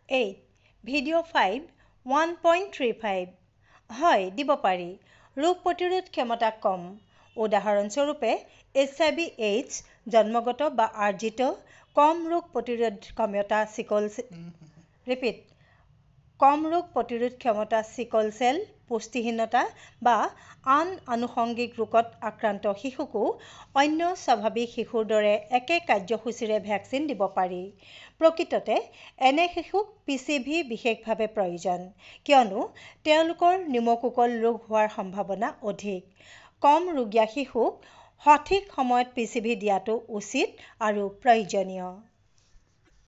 8, video 5, 1.35। হয়, দিব পাৰি। ৰোগ প্ৰতিৰোধ ক্ষমতা কম, উদাহৰণস্বৰূপে এইচ.আই.ভি এইডছ, জন্মগত বা আৰ্জিত কম ৰোগ প্ৰতিৰোধ ক্ষমতা চিকল ৰিপিট কম ৰোগ প্ৰতিৰোধ ক্ষমতা চিকল চেল, পুষ্টিহীনতা বা আন আনুষংগিক ৰোগত আক্ৰান্ত শিশুকো অন্য স্বাভাৱিক শিশুৰ দৰে একে কাৰ্যসূচীৰে ভেকচিন দিব পাৰি। প্ৰকৃততে এনে শিশুক পিচিভি বিশেষভাৱে প্ৰয়োজন, কিয়নো তেওঁলোকৰ নিউমোকোকল ৰোগ হোৱাৰ সম্ভাৱনা অধিক। কম ৰুগীয়া শিশুক সঠিক সময়ত পিচিভি দিয়াটো উচিত আৰু প্ৰয়োজনীয়।